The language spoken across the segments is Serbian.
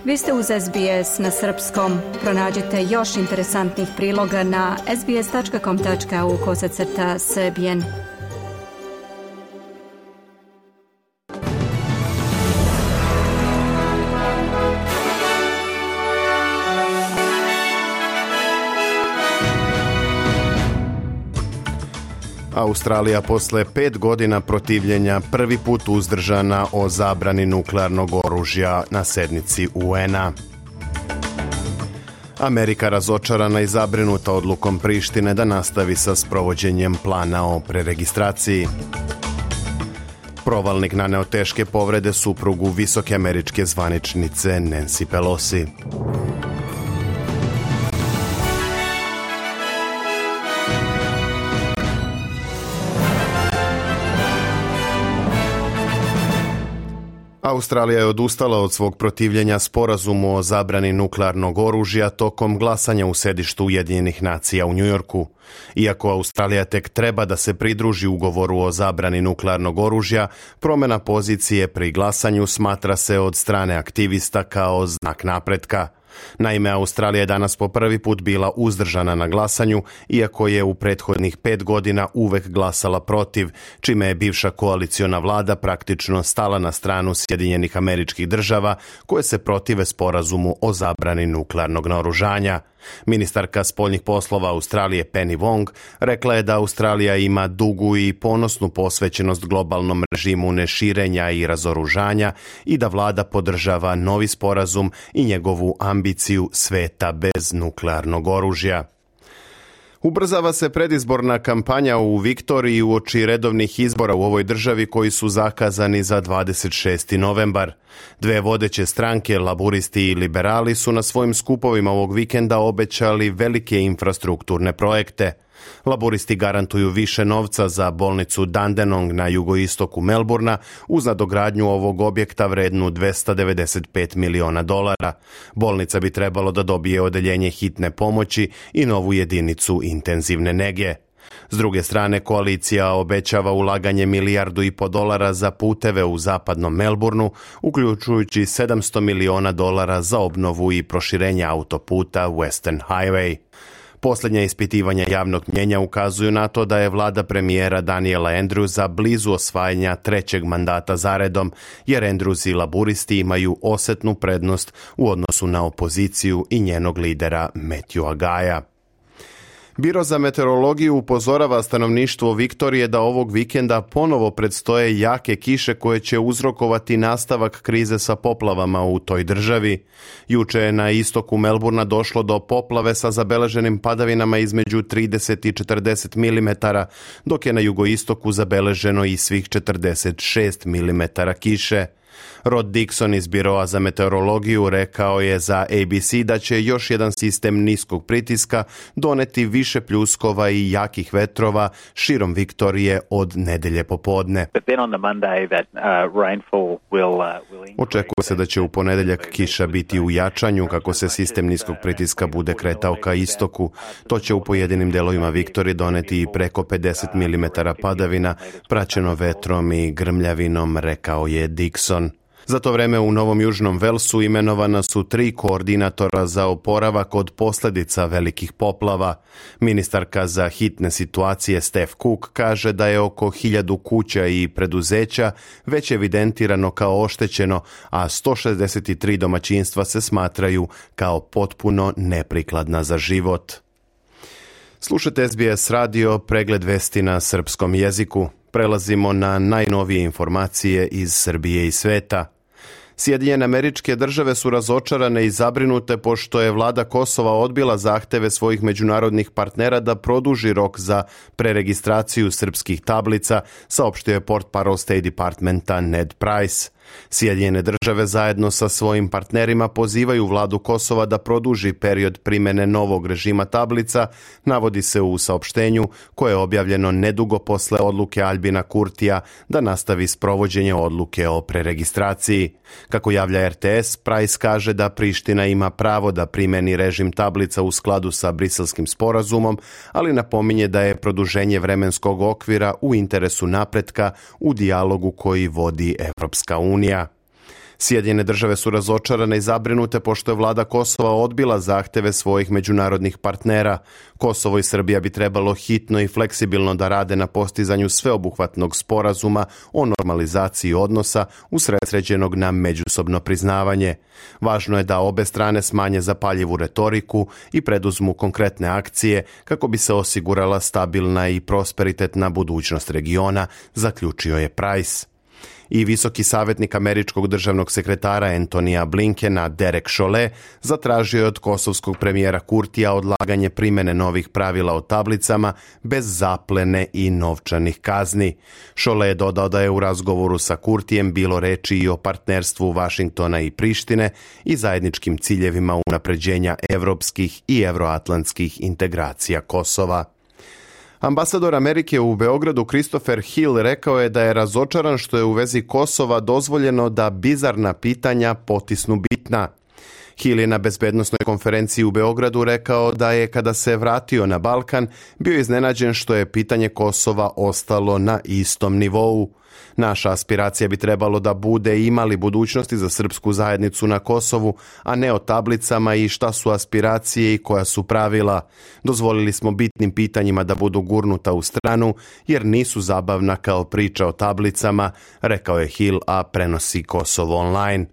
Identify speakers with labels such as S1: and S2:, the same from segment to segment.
S1: Vi ste uz SBS na srpskom. Pronađite još interesantnih priloga na sbs.com.au/srbijen.
S2: Australija posle 5 godina protivljenja prvi put uzdržana o zabrani nuklearnog oružja na sednici UN-a. Amerika razočarana i zabrinuta odlukom Prištine da nastavi sa sprovođenjem plana o preregistraciji. Provalnik naneo teške povrede suprugu visoke američke zvaničnice Nancy Pelosi. Australija je odustala od svog protivljenja sporazumu o zabrani nuklearnog oružja tokom glasanja u sedištu Ujedinjenih nacija u Njujorku. Iako Australija tek treba da se pridruži ugovoru o zabrani nuklearnog oružja, promjena pozicije pri glasanju smatra se od strane aktivista kao znak napretka. Naime, Australija je danas po prvi put bila uzdržana na glasanju, iako je u prethodnih 5 godina uvek glasala protiv, čime je bivša koaliciona vlada praktično stala na stranu Sjedinjenih Američkih Država koje se protive sporazumu o zabrani nuklearnog naoružanja. Ministarka spoljnih poslova Australije Penny Wong rekla je da Australija ima dugu i ponosnu posvećenost globalnom režimu neširenja i razoružanja i da vlada podržava novi sporazum i njegovu ambiciju sveta bez nuklearnog oružja. Ubrzava se predizborna kampanja u Viktoriji uoči redovnih izbora u ovoj državi koji su zakazani za 26. novembar. Dve vodeće stranke, laburisti i liberali, su na svojim skupovima ovog vikenda obećali velike infrastrukturne projekte. Laburisti garantuju više novca za bolnicu Dandenong na jugoistoku Melburna uz nadogradnju ovog objekta vrednu $295 miliona. Bolnica bi trebalo da dobije odeljenje hitne pomoći i novu jedinicu intenzivne nege. S druge strane, koalicija obećava ulaganje $1,5 milijardi za puteve u zapadnom Melbourneu, uključujući $700 miliona za obnovu i proširenje autoputa Western Highway. Posljednja ispitivanja javnog mnjenja ukazuju na to da je vlada premijera Daniela Andrewsa blizu osvajanja 3. mandata zaredom, jer Andrews i laburisti imaju osetnu prednost u odnosu na opoziciju i njenog lidera Matthewa Gaya. Biro za meteorologiju upozorava stanovništvo Viktorije da ovog vikenda ponovo predstoje jake kiše koje će uzrokovati nastavak krize sa poplavama u toj državi. Juče je na istoku Melburna došlo do poplave sa zabeleženim padavinama između 30 i 40 mm, dok je na jugoistoku zabeleženo i svih 46 mm kiše. Rod Dixon iz Biroa za meteorologiju rekao je za ABC da će još jedan sistem niskog pritiska doneti više pljuskova i jakih vetrova širom Viktorije od nedelje popodne. Očekuje se da će u ponedeljak kiša biti u jačanju kako se sistem niskog pritiska bude kretao ka istoku. To će u pojedinim delovima Viktorije doneti i preko 50 mm padavina, praćeno vetrom i grmljavinom, rekao je Dixon. Za to vreme u Novom Južnom Velsu imenovana su 3 koordinatora za oporavak od posljedica velikih poplava. Ministarka za hitne situacije Steph Cook kaže da je oko 1000 kuća i preduzeća već evidentirano kao oštećeno, a 163 domaćinstva se smatraju kao potpuno neprikladna za život. Slušajte SBS radio, pregled vesti na srpskom jeziku. Prelazimo na najnovije informacije iz Srbije i sveta. Sjedinjene Američke Države su razočarane i zabrinute pošto je vlada Kosova odbila zahteve svojih međunarodnih partnera da produži rok za preregistraciju srpskih tablica, saopštio je portparol State Departmenta Ned Price. Sjedinjene Države zajedno sa svojim partnerima pozivaju vladu Kosova da produži period primjene novog režima tablica, navodi se u saopštenju koje je objavljeno nedugo posle odluke Albina Kurtija da nastavi sprovođenje odluke o preregistraciji. Kako javlja RTS, Price kaže da Priština ima pravo da primjeni režim tablica u skladu sa Briselskim sporazumom, ali napominje da je produženje vremenskog okvira u interesu napretka u dijalogu koji vodi Evropska unija. Sjedinjene države su razočarane i zabrinute pošto je vlada Kosova odbila zahteve svojih međunarodnih partnera. Kosovo i Srbija bi trebalo hitno i fleksibilno da rade na postizanju sveobuhvatnog sporazuma o normalizaciji odnosa usredsređenog na međusobno priznavanje. Važno je da obe strane smanje zapaljivu retoriku i preduzmu konkretne akcije kako bi se osigurala stabilna i prosperitetna budućnost regiona, zaključio je Price. I visoki savjetnik američkog državnog sekretara Antonija Blinkena Derek Chollet zatražio je od kosovskog premijera Kurtija odlaganje primjene novih pravila o tablicama bez zaplene i novčanih kazni. Chollet je dodao da je u razgovoru sa Kurtijem bilo reči i o partnerstvu Vašingtona i Prištine i zajedničkim ciljevima unapređenja evropskih i evroatlantskih integracija Kosova. Ambasador Amerike u Beogradu Christopher Hill rekao je da je razočaran što je u vezi Kosova dozvoljeno da bizarna pitanja potisnu bitna. Hill je na bezbednosnoj konferenciji u Beogradu rekao da je kada se vratio na Balkan bio iznenađen što je pitanje Kosova ostalo na istom nivou. Naša aspiracija bi trebalo da bude imali budućnosti za srpsku zajednicu na Kosovu, a ne o tablicama i šta su aspiracije i koja su pravila. Dozvolili smo bitnim pitanjima da budu gurnuta u stranu jer nisu zabavna kao priča o tablicama, rekao je Hill, a prenosi Kosovo online.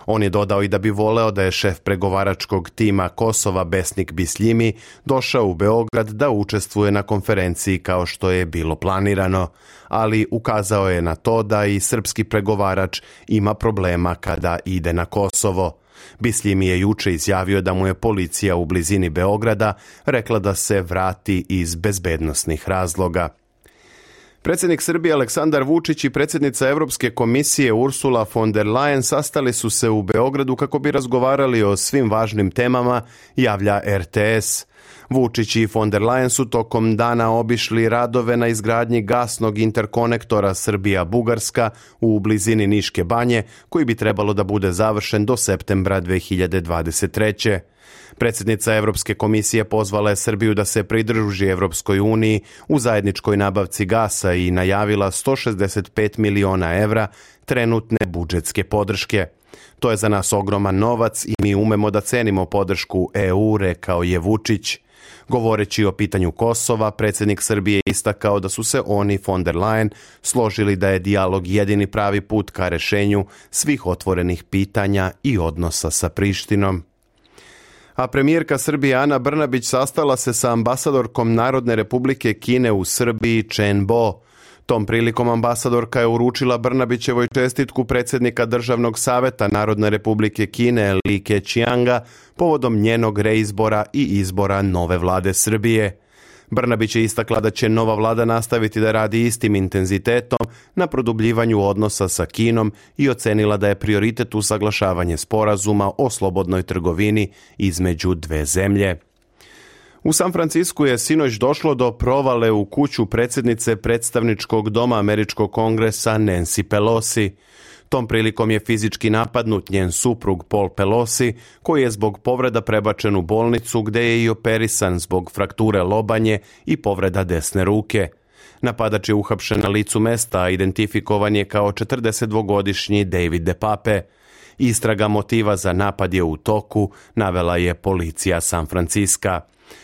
S2: On je dodao i da bi voleo da je šef pregovaračkog tima Kosova Besnik Bisljimi došao u Beograd da učestvuje na konferenciji kao što je bilo planirano, ali ukazao je na to da i srpski pregovarač ima problema kada ide na Kosovo. Bisljimi je juče izjavio da mu je policija u blizini Beograda rekla da se vrati iz bezbednosnih razloga. Predsjednik Srbije Aleksandar Vučić i predsjednica Europske komisije Ursula von der Leyen sastali su se u Beogradu kako bi razgovarali o svim važnim temama, javlja RTS. Vučić i von der Leyen su tokom dana obišli radove na izgradnji gasnog interkonektora Srbija-Bugarska u blizini Niške banje, koji bi trebalo da bude završen do septembra 2023. Predsjednica Europske komisije pozvala je Srbiju da se pridruži Europskoj uniji u zajedničkoj nabavci gasa i najavila 165 miliona evra trenutne budžetske podrške. To je za nas ogroman novac i mi umemo da cenimo podršku EU, rekao je Vučić. Govoreći o pitanju Kosova, predsjednik Srbije istakao da su se oni, von der Leyen, složili da je dijalog jedini pravi put ka rešenju svih otvorenih pitanja i odnosa sa Prištinom. A premijerka Srbije Ana Brnabić sastala se sa ambasadorkom Narodne republike Kine u Srbiji Chen Bo. Tom prilikom ambasadorka je uručila Brnabićevoj čestitku predsjednika Državnog saveta Narodne republike Kine Li Keqianga povodom njenog reizbora i izbora nove vlade Srbije. Brnabić je istakla da će nova vlada nastaviti da radi istim intenzitetom na produbljivanju odnosa sa Kinom i ocenila da je prioritet usaglašavanje sporazuma o slobodnoj trgovini između dve zemlje. U San Francisku je sinoć došlo do provale u kuću predsjednice predstavničkog doma Američkog kongresa Nancy Pelosi. Tom prilikom je fizički napadnut njen suprug Paul Pelosi, koji je zbog povreda prebačen u bolnicu gde je i operisan zbog frakture lobanje i povreda desne ruke. Napadač je uhapšen na licu mesta, a identifikovan je kao 42-godišnji David DePape. Istraga motiva za napad je u toku, navela je policija San Franciska.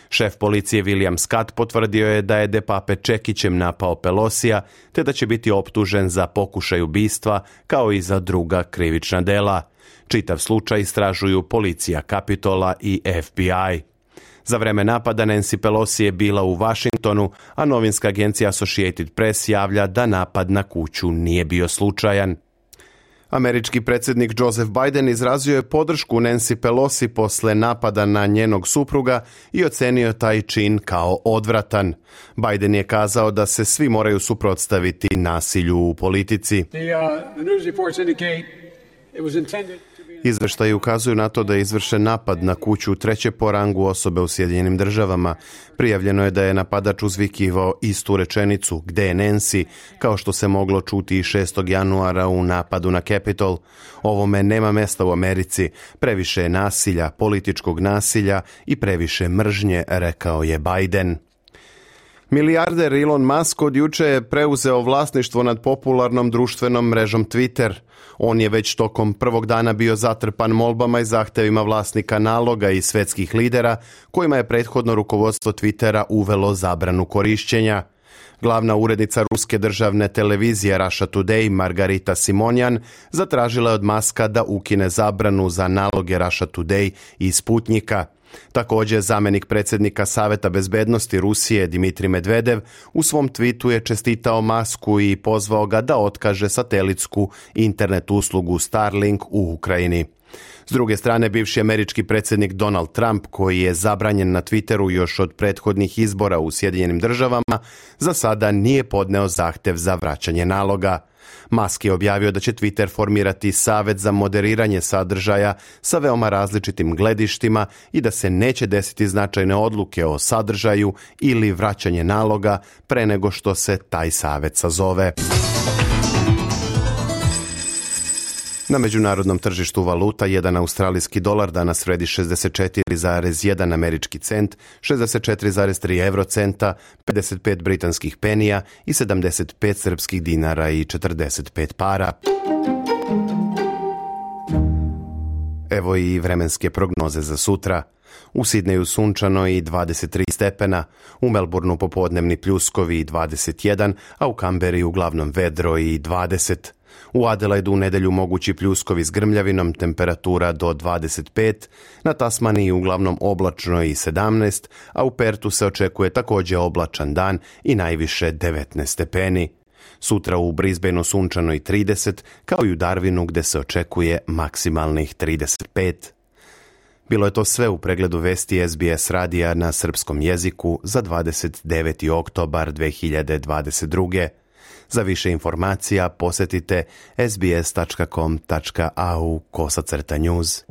S2: Šef policije William Scott potvrdio je da je DePape čekićem napao Pelosija, te da će biti optužen za pokušaj ubistva, kao i za druga krivična dela. Čitav slučaj istražuju policija Kapitola i FBI. Za vreme napada Nancy Pelosi je bila u Washingtonu, a novinska agencija Associated Press javlja da napad na kuću nije bio slučajan. Američki predsjednik Joseph Biden izrazio je podršku Nancy Pelosi posle napada na njenog supruga i ocenio taj čin kao odvratan. Biden je kazao da se svi moraju suprotstaviti nasilju u politici. Izveštaji ukazuju na to da je izvršen napad na kuću treće po rangu osobe u Sjedinjenim Državama. Prijavljeno je da je napadač uzvikivao istu rečenicu "Gde je Nancy?", kao što se moglo čuti i 6. januara u napadu na Capitol. Ovome nema mesta u Americi. Previše je nasilja, političkog nasilja i previše mržnje, rekao je Biden. Milijarder Elon Musk od juče je preuzeo vlasništvo nad popularnom društvenom mrežom Twitter. On je već tokom prvog dana bio zatrpan molbama i zahtevima vlasnika naloga i svjetskih lidera, kojima je prethodno rukovodstvo Twittera uvelo zabranu korišćenja. Glavna urednica ruske državne televizije Russia Today, Margarita Simonjan, zatražila je od Muska da ukine zabranu za naloge Russia Today i Sputnika. Također, zamjenik predsjednika Saveta bezbednosti Rusije Dmitrij Medvedev u svom tweetu je čestitao Musku i pozvao ga da otkaže satelitsku internet uslugu Starlink u Ukrajini. S druge strane, bivši američki predsjednik Donald Trump, koji je zabranjen na Twitteru još od prethodnih izbora u Sjedinjenim državama, za sada nije podneo zahtjev za vraćanje naloga. Musk je objavio da će Twitter formirati savjet za moderiranje sadržaja sa veoma različitim gledištima i da se neće desiti značajne odluke o sadržaju ili vraćanje naloga pre nego što se taj savjet sazove. Na međunarodnom tržištu valuta jedan australijski dolar danas vredi 64,1 američki cent, 64,3 eurocenta, 55 britanskih penija i 75 srpskih dinara i 45 para. Evo i vremenske prognoze za sutra. U Sidneju sunčano i 23 stepena, u Melbourneu popodnevni pljuskovi i 21, a u Kamberi uglavnom vedro i 20. U Adelaidu u nedjelju mogući pljuskovi s grmljavinom, temperatura do 25, na Tasmaniji uglavnom oblačno i 17, a u Pertu se očekuje također oblačan dan i najviše 19 stepeni. Sutra u Brisbaneu sunčano i 30, kao i u Darwinu gdje se očekuje maksimalnih 35. Bilo je to sve u pregledu vesti SBS radija na srpskom jeziku za 29. oktobar 2022. Za više informacija posjetite sbs.com.au/news.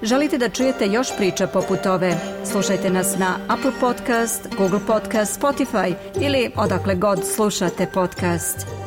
S1: Želite da čujete još priča poput ove? Slušajte nas na Apple Podcast, Google Podcast, Spotify ili odakle god slušate podcast.